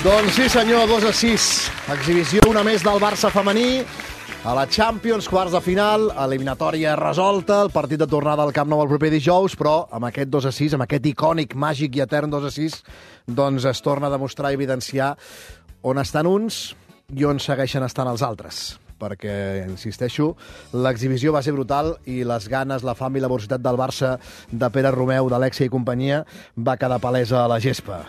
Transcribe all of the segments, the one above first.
Doncs sí senyor, 2-6. Exhibició una més del Barça femení a la Champions, quarts de final, eliminatòria resolta, el partit de tornada al Camp Nou el proper dijous, però amb aquest 2-6, amb aquest icònic, màgic i etern 2-6, doncs es torna a demostrar i evidenciar on estan uns i on segueixen estant els altres. Perquè, insisteixo, l'exhibició va ser brutal i les ganes, la fam i la velocitat del Barça de Pere Romeu, d'Alexia i companyia va quedar palesa a la gespa.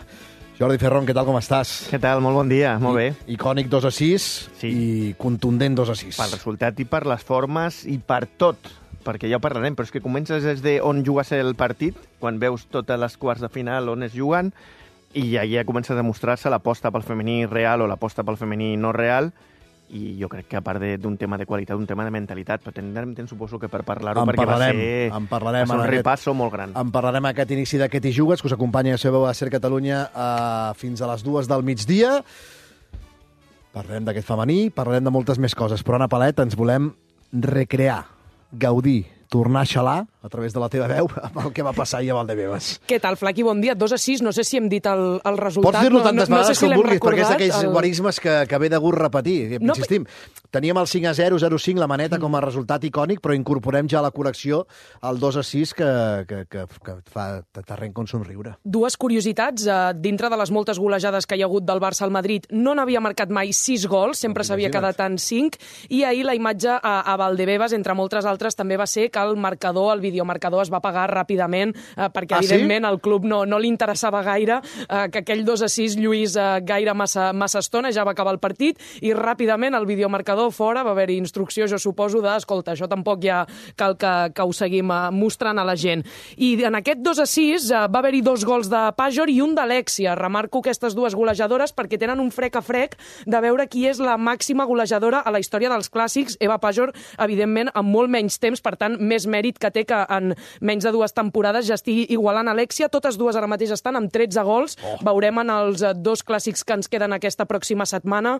Jordi Ferrón, què tal, com estàs? Què tal? Molt bon dia, molt bé. Icònic 2-6 Sí. i contundent 2-6. Pel resultat i per les formes i per tot, perquè ja ho parlarem, però és que comences des d'on juga a ser el partit, quan veus totes les quarts de final on es juguen, i ja comença a demostrar-se l'aposta pel femení real o l'aposta pel femení no real, i jo crec que a part d'un tema de qualitat, un tema de mentalitat, però tindrem temps, suposo, que per parlar-ho, perquè va ser un repasso molt gran. En parlarem aquest inici d'aquest I Jugues, que us acompanya a sabeu a Ser Catalunya fins a les 2 del migdia. Parlarem d'aquest femení, parlarem de moltes més coses, però Anna Palet, ens volem recrear, gaudir, tornar a xalar a través de la teva veu amb el que va passar ahir a Valdebebas. Què tal, Flaqui? Bon dia. 2-6. No sé si hem dit el resultat. Pots dir-lo tantes vegades com vulguis, perquè és d'aquells el... guarismes que ve de gust repetir. No, insistim, teníem el 5-0, 0-5, la maneta com a resultat icònic, però incorporem ja a la correcció el 2-6 que t'arrenca un somriure. Dues curiositats. Dintre de les moltes golejades que hi ha hagut del Barça al Madrid, no n'havia marcat mai 6 gols, sempre s'havia quedat en 5, i ahir la imatge a Valdebebas, entre moltes altres, també va ser que el marcador, el videomarcador, es va pagar ràpidament, perquè, evidentment, al club no li interessava gaire que aquell 2-6 lluís gaire massa estona, ja va acabar el partit, i ràpidament el videomarcador fora, va haver-hi instrucció, jo suposo, escolta, això tampoc ja cal que ho seguim mostrant a la gent. I en aquest 2-6 va haver-hi 2 gols de Pajor i un d'Alexia. Remarco aquestes dues golejadores perquè tenen un frec a frec de veure qui és la màxima golejadora a la història dels clàssics. Eva Pajor, evidentment, amb molt menys temps, per tant, més mèrit que té que en menys de 2 temporades ja estigui igualant Alexia. Totes dues ara mateix estan amb 13 gols. Veurem en els 2 clàssics que ens queden aquesta pròxima setmana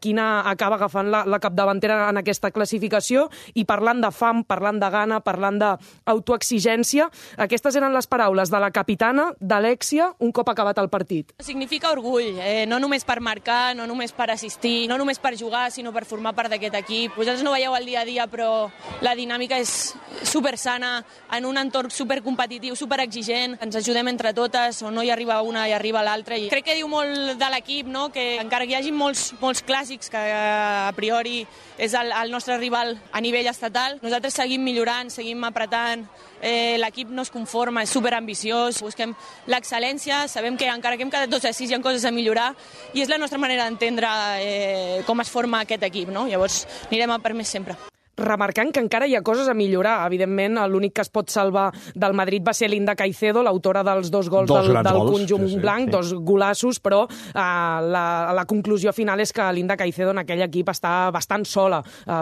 quina acaba agafant la capdavantera en aquesta classificació. I parlant de fam, parlant de gana, parlant d'autoexigència, aquestes eren les paraules de la capitana, d'Alexia, un cop acabat el partit. Significa orgull, no només per marcar, no només per assistir, no només per jugar, sinó per formar part d'aquest equip. Vosaltres no veieu el dia a dia, però la dinàmica és super sana, en un entorn supercompetitiu, superexigent. Ens ajudem entre totes, on no hi arriba una hi arriba l'altra. I crec que diu molt de l'equip, no? Que encara que hi hagi molts clàssics que a priori és el nostre rival a nivell estatal, nosaltres seguim millorant, seguim apretant, l'equip no es conforma, és superambiciós, busquem l'excel·lència, sabem que encara que hem quedat 2-6 hi ha coses a millorar i és la nostra manera d'entendre com es forma aquest equip, no? Llavors anirem a per més sempre. Remarcant que encara hi ha coses a millorar. Evidentment, l'únic que es pot salvar del Madrid va ser Linda Caicedo, l'autora dels 2 gols del conjunt blanc, 2 golassos, però la conclusió final és que Linda Caicedo en aquell equip està bastant sola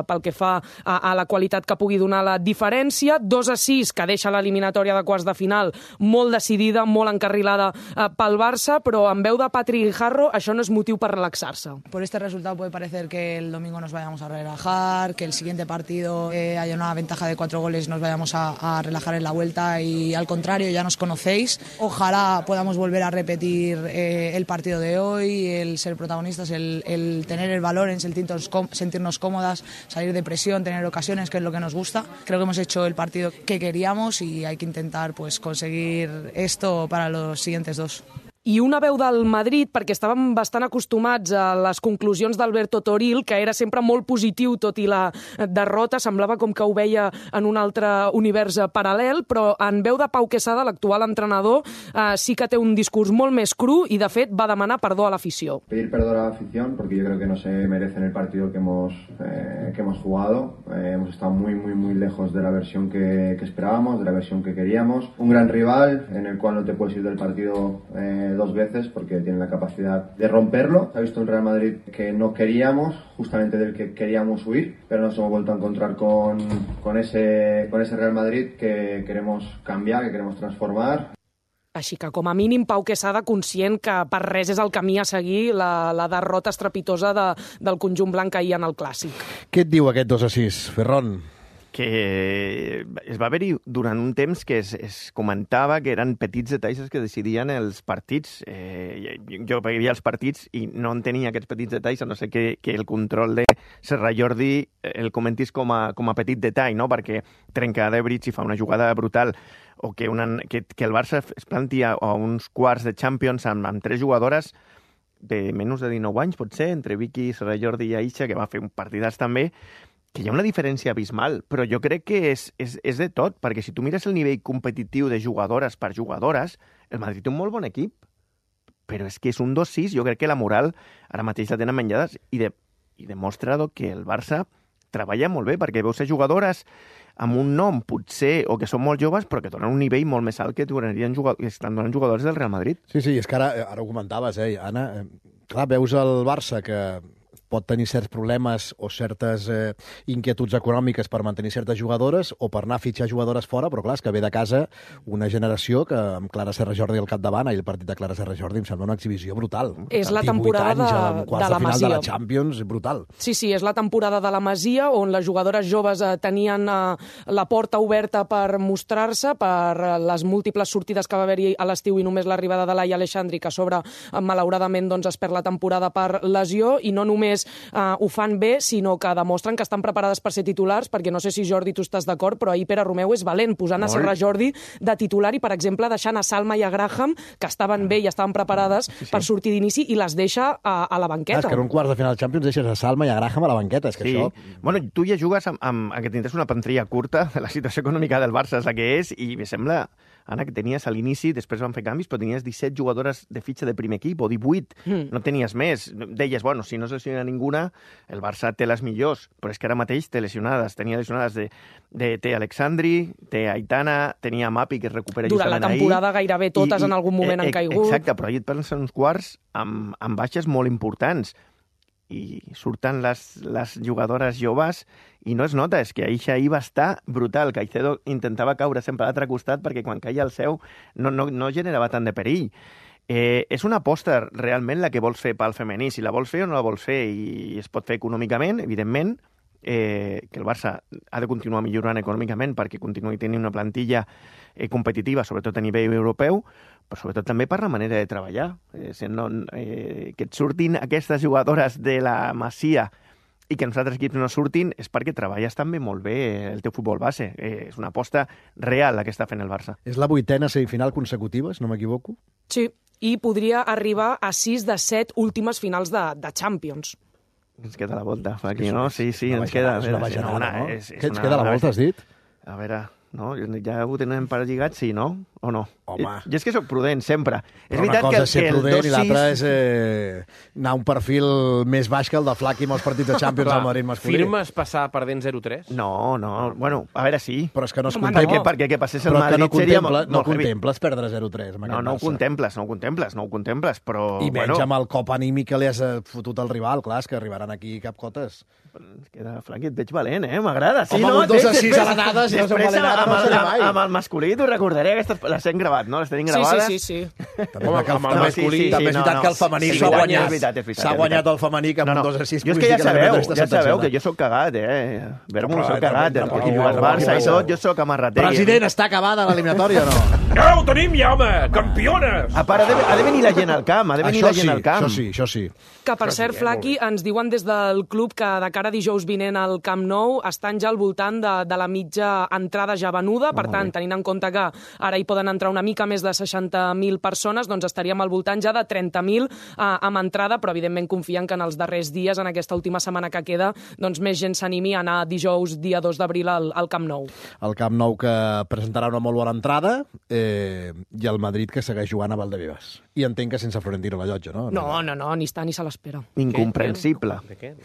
pel que fa a la qualitat que pugui donar la diferència. 2-6, que deixa l'eliminatòria de quarts de final molt decidida, molt encarrilada pel Barça, però en veu de Patri Guijarro això no és motiu per relaxar-se. Por este resultado puede parecer que el domingo nos vayamos a relajar, que el siguiente partido haya una ventaja de 4 goles, nos vayamos a relajar en la vuelta, y al contrario, ya nos conocéis. Ojalá podamos volver a repetir el partido de hoy, el ser protagonistas, el tener el valor en sentirnos cómodas, salir de presión, tener ocasiones, que es lo que nos gusta. Creo que hemos hecho el partido que queríamos y hay que intentar conseguir esto para los siguientes 2. I una veu del Madrid, perquè estàvem bastant acostumats a les conclusions d'Alberto Toril, que era sempre molt positiu, tot i la derrota, semblava com que ho veia en un altre univers paral·lel, però en veu de Pau Quesada, l'actual entrenador, sí que té un discurs molt més cru i, de fet, va demanar perdó a l'afició. Pedir perdón a la afición, porque yo creo que no se merecen el partido que hemos jugado. Hemos estado muy lejos de la versión que esperábamos, de la versión que queríamos. Un gran rival en el cual no te puedes ir del partido 2 veces porque tiene la capacidad de romperlo. Se ha visto un Real Madrid que no queríamos, justamente del que queríamos huir, pero nos hemos vuelto a encontrar con ese Real Madrid que queremos cambiar, que queremos transformar. Així que, com a mínim, Pau Quesada, conscient que per res és el camí a seguir la derrota estrepitosa del conjunt blanc ahir en el Clàssic. Què et diu aquest 2-6, Ferron? que es va haver-hi durant un temps que es comentava que eren petits detalls els que decidien els partits. Jo veia els partits i no entenia aquests petits detalls, a no ser que el control de Serra Jordi el comentis com a petit detall, no? Perquè trenca Debrich i fa una jugada brutal, o que el Barça es plantia a uns quarts de Champions amb 3 jugadores de menys de 19 anys, potser, entre Vicky, Serra Jordi i Aisha, que va fer un partidàs també, que hi ha una diferència abismal, però jo crec que és de tot, perquè si tu mires el nivell competitiu de jugadores per jugadores, el Madrid té un molt bon equip, però és que és un 2-6, jo crec que la moral ara mateix la tenen menjades i demostra que el Barça treballa molt bé, perquè veus ser jugadores amb un nom, potser, o que són molt joves, però que donen un nivell molt més alt que estan donant jugadors del Real Madrid. Sí, és que ara ho comentaves, Anna. Clar, veus el Barça que pot tenir certs problemes o certes inquietuds econòmiques per mantenir certes jugadores o per anar a fitxar jugadores fora, però clar, és que ve de casa una generació que amb Clara Serra Jordi al capdavant, el partit de Clara Serra Jordi em sembla una exhibició brutal. És la temporada de la Masia. De la Champions, brutal. Sí, és la temporada de la Masia, on les jugadores joves tenien la porta oberta per mostrar-se, per les múltiples sortides que va haver-hi a l'estiu i només l'arribada de Laia Aleixandri, que a sobre, malauradament, es perd la temporada per lesió, i no només ho fan bé, sinó que demostren que estan preparades per ser titulars, perquè no sé si, Jordi, tu estàs d'acord, però ahir Pere Romeu és valent, posant a Serra Jordi de titular i, per exemple, deixant a Salma i a Graham, que estaven bé i estaven preparades per sortir d'inici, i les deixa a la banqueta. És que en un quarts de final de Champions deixes a Salma i a Graham a la banqueta, és que això... Bueno, tu ja jugues amb que tindràs una plantilla curta, la situació econòmica del Barça és la que és, i me sembla, Anna, que tenies a l'inici, després van fer canvis, però tenies 17 jugadores de fitxa de primer equip, o 18, no tenies més. Deies, bueno, si no es lesiona ninguna, el Barça té les millors, però és que ara mateix té lesionades. Tenia lesionades té Alexandri, té Aitana, tenia Mapi, que es recupera durant justament la temporada ahir. Gairebé totes en algun moment han caigut. Exacte, però ahir et parles en uns quarts amb baixes molt importants. I surten les jugadores joves i no es nota, és que ahir va estar brutal. Caicedo intentava caure sempre a l'altre costat perquè quan caia el seu no generava tant de perill. És una aposta realment la que vols fer pel femení. Si la vols fer o no la vols fer, i es pot fer econòmicament, evidentment, que el Barça ha de continuar millorant econòmicament perquè continuï tenint una plantilla competitiva, sobretot a nivell europeu, però sobretot també per la manera de treballar. Que et surtin aquestes jugadores de la Masia i que els altres equips no surtin és perquè treballes també molt bé el teu futbol base. És una aposta real la que està fent el Barça. És la 8ª semifinal consecutiva, si no m'equivoco? Sí, i podria arribar a 6 de 7 últimes finals de Champions. Ens queda la volta, aquí, no? Sí, ens queda. És una bajanada, no? Què ens queda la volta, has dit? A veure, no? Ja ho tenen per lligat, sí, no? O no? Home. Jo és que sóc prudent, sempre. Però una cosa és ser prudent i l'altra és anar a un perfil més baix que el de Flaqui amb els partits de Champions al Madrid masculí. Firmes passar perdent 0-3? No. Bueno, a veure, sí. Però és que no es contempla. Perquè que passés el Madrid seria molt no contemples perdre 0-3 amb aquest Barça. No ho contemples, però... I menys amb el cop anímic que li has fotut al rival, clar, és que arribaran aquí capcotes. Queda, Flaqui, et veig valent, m'agrada. Sí, home, un 2-6 a l'anada, si no som valent, amb el masculí t'ho recordaré, aquestes les hem gravat, no? Les tenim gravades. Sí. També és veritat que el femení s'ha guanyat. S'ha guanyat el femení que amb un 2-6... Jo és que ja sabeu que jo sóc cagat, Vermo sóc cagat, aquí jugues Barça i tot, jo sóc amarrater. President, està acabada l'eliminatòria o no? Ja ho tenim ja, home! Campiones! A part, ha de venir la gent al camp, Això sí. Que, per cert, Flaqui, ens diuen des del club que de cara a dijous vinent al Camp Nou estan ja al voltant de la mitja entrada ja venuda, per tant, tenint en compte que ara hi poden entrar una mica més de 60.000 persones, doncs estaríem al voltant ja de 30.000 amb entrada, però evidentment confien que en els darrers dies, en aquesta última setmana que queda, doncs més gent s'animi a anar dijous, dia 2 d'abril, al Camp Nou. El Camp Nou que presentarà una molt bona entrada i el Madrid que segueix jugant a Valdebebas. I entenc que sense Florentino a la llotja, no? No, ni està ni se l'espera. Incomprensible. ¿De qué?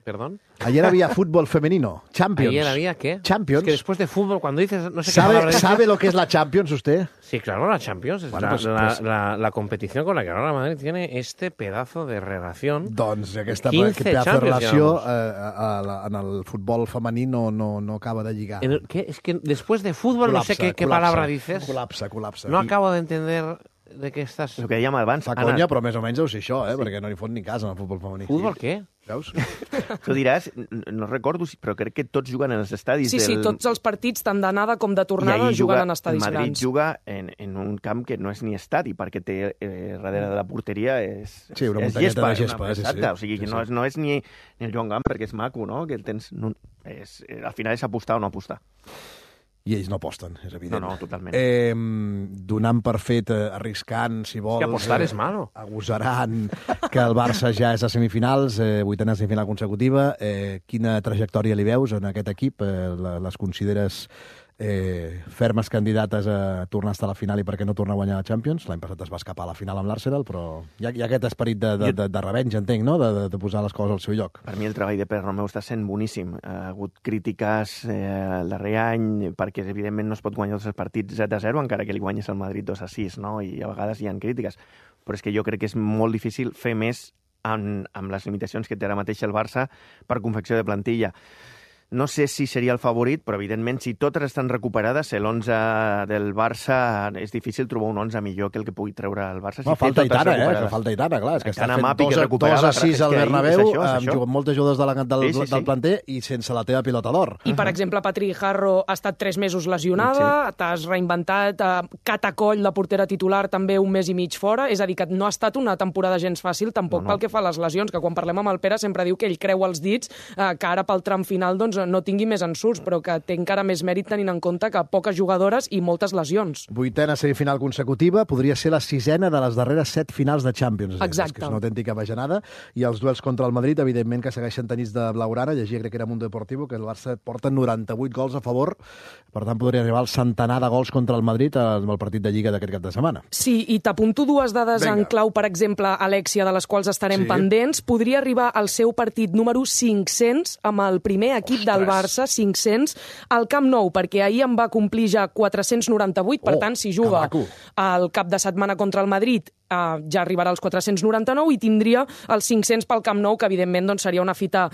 ¿Perdón? Ayer había fútbol femenino, Champions. ¿Ayer había qué? Champions. Es que después de fútbol, cuando dices... no sé qué palabra dices... ¿Sabe lo que es la Champions usted? Sí, claro, la Champions. Es bueno, la competición con la que ahora Madrid tiene este pedazo de relación. Doncs aquesta pedazo de relació en el futbol femení no acaba de lligar. Es que después de fútbol, colapsa, no sé qué palabra dices. Colapsa. No acabo de entender de què estàs... El que dèiem abans, Fa conya, però més o menys deu ser això, perquè no li fot ni cas en el futbol femení. Futbol què? Veus? tu diràs, no recordo, però crec que tots juguen en els estadis. Sí, tots els partits, tant d'anada com de tornada, juguen en estadis grans. El Madrid juga en un camp que no és ni estadi, perquè té darrere de la porteria és una muntanyeta de gespa. Exacte, o sigui, no és ni el Joan Gamp, perquè és maco, no? Que tens, al final és apostar o no apostar. I ells no aposten, és evident. No, totalment. Donant per fet, arriscant, si vols... És que apostar és malo. Agosarant que el Barça ja és a semifinals, vuitena semifinal consecutiva. Quina trajectòria li veus en aquest equip? Les consideres fermes candidates a tornar a estar a la final i per què no tornar a guanyar la Champions? L'any passat es va escapar a la final amb l'Arsenal, però hi ha aquest esperit de revenja, entenc, no? De posar les coses al seu lloc. Per mi el treball de Pere Romeu està sent boníssim. Ha hagut crítiques el darrer any perquè, evidentment, no es pot guanyar tots els partits 7-0, encara que li guanyes al Madrid 2-6, no? I a vegades hi ha crítiques. Però és que jo crec que és molt difícil fer més amb les limitacions que té ara mateix el Barça per confecció de plantilla. No sé si seria el favorit, però evidentment si totes estan recuperades, l'11 del Barça és difícil trobar un 11 millor que el que pugui treure el Barça. No, falta Aitana, que falta Aitana, clar. És que està fent 2-6 al Bernabéu, amb moltes jugadors del planter i sense la teva pilota d'or. I, per exemple, Patri Jarro ha estat 3 mesos lesionada, t'has reinventat, Catacoll, la portera titular, també un mes i mig fora, és a dir, que no ha estat una temporada gens fàcil, tampoc pel que fa a les lesions, que quan parlem amb el Pere sempre diu que ell creu els dits, que ara pel tram final, doncs, no tingui més ensurts, però que té encara més mèrit tenint en compte que poques jugadores i moltes lesions. Vuitena semifinal consecutiva, podria ser la 6ena de les darreres 7 finals de Champions. Exacte. Que és una autèntica bajanada. I els duels contra el Madrid, evidentment, que segueixen tenits de blaugrana. Llegia, crec que era Mundo Deportivo, que el Barça porta 98 gols a favor. Per tant, podria arribar al centenar de gols contra el Madrid amb el partit de Lliga d'aquest cap de setmana. Sí, i t'apunto 2 dades en clau, per exemple, Alexia, de les quals estarem pendents. Podria arribar al seu partit número 500 amb el primer equip del Barça, 500, al Camp Nou, perquè ahir en va complir ja 498, per tant, si juga el cap de setmana contra el Madrid, ja arribarà als 499 i tindria els 500 pel Camp Nou, que evidentment doncs, seria una fita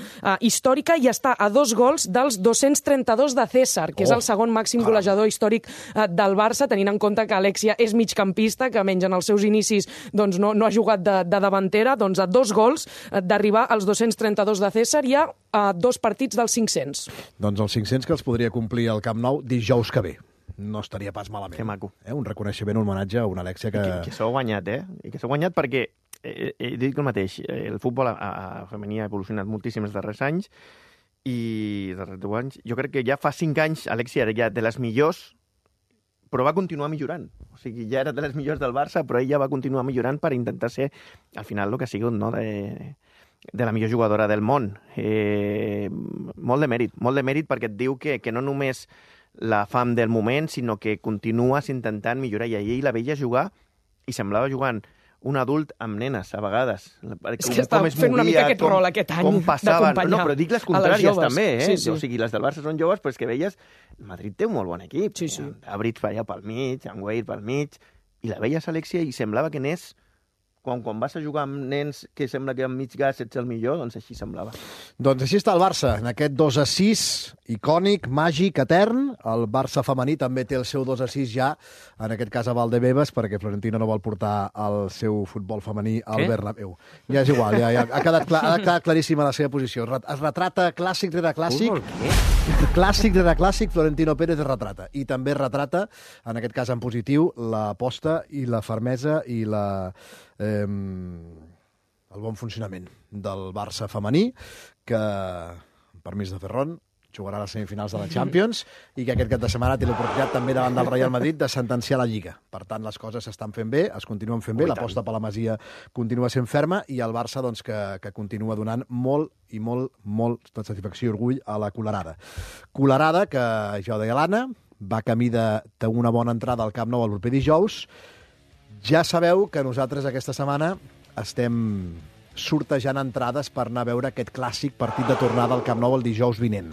històrica, i està a 2 gols dels 232 de César, que és el segon màxim golejador històric del Barça, tenint en compte que Alexia és migcampista, que menys en els seus inicis doncs, no ha jugat de davantera, doncs a 2 gols d'arribar als 232 de César i a 2 partits dels 500. Doncs els 500 que els podria complir al Camp Nou dijous que ve. No estaria pas malament. Que maco. Un reconeixement, un homenatge a una Alexia que... Que s'ho ha guanyat, I que s'ho ha guanyat perquè, dic el mateix, el futbol femení ha evolucionat moltíssim els darrers anys i els darrers 10 anys. Jo crec que ja fa 5 anys Alexia era ja de les millors, però va continuar millorant. O sigui, ja era de les millors del Barça, però ella va continuar millorant per intentar ser, al final, el que ha sigut, no?, de la millor jugadora del món. Molt de mèrit perquè et diu que no només la fam del moment, sinó que continues intentant millorar. I ahir la veia jugar i semblava jugant un adult amb nenes, a vegades. És que està fent una mica aquest rol aquest any d'acompanyar. No, però dic les contràries també, Sí. O sigui, les del Barça són joves, però és que veies... El Madrid té un molt bon equip. Sí. Abrits allà pel mig, en Wade pel mig, i la veies, Alexia, i semblava que n'és... Quan vas a jugar amb nens que sembla que amb mig gas ets el millor, doncs així semblava. Doncs així està el Barça, en aquest 2-6 icònic, màgic, etern. El Barça femení també té el seu 2-6 ja, en aquest cas a Valdebebas, perquè Florentino no vol portar el seu futbol femení al Bernabéu. Ja és igual, ja ha quedat claríssima la seva posició. Es retrata clàssic rere clàssic. Clàssic rere clàssic, Florentino Pérez es retrata. I també es retrata, en aquest cas en positiu, l'aposta i la fermesa i el bon funcionament del Barça femení, que, amb permís de Ferron, jugarà a les semifinals de la Champions i que aquest cap de setmana té l'oportunitat també davant del Real Madrid de sentenciar la Lliga. Per tant, les coses s'estan fent bé, es continuen fent bé, l'aposta per la Masia continua sent ferma i el Barça doncs, que continua donant molt de satisfacció i orgull a la Colerada. Colerada que, ja ho deia l'Anna, va camí de una bona entrada al Camp Nou el proper dijous. Ja sabeu que nosaltres aquesta setmana estem sortejant entrades per anar a veure aquest clàssic partit de tornada al Camp Nou el dijous vinent.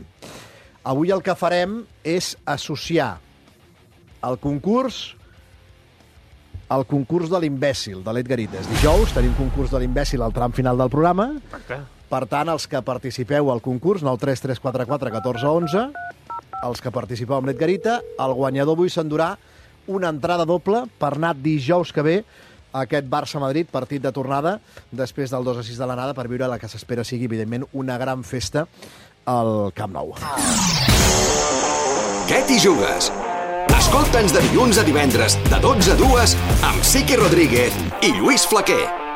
Avui el que farem és associar el concurs de l'imbècil, de l'Edgarites. Dijous tenim concurs de l'imbècil al tram final del programa. Per tant, els que participeu al concurs, 93344 14 11, els que participeu amb l'Edgarita, el guanyador avui s'endurà una entrada doble per anar dijous que ve a aquest Barça-Madrid, partit de tornada, després del 2-6 de l'anada, per viure la que s'espera sigui, evidentment, una gran festa al Camp Nou. Què t'hi jugues? Escolta'ns de dilluns a divendres, de 12 a 2, amb Siqui Rodríguez i Lluís Flaquer.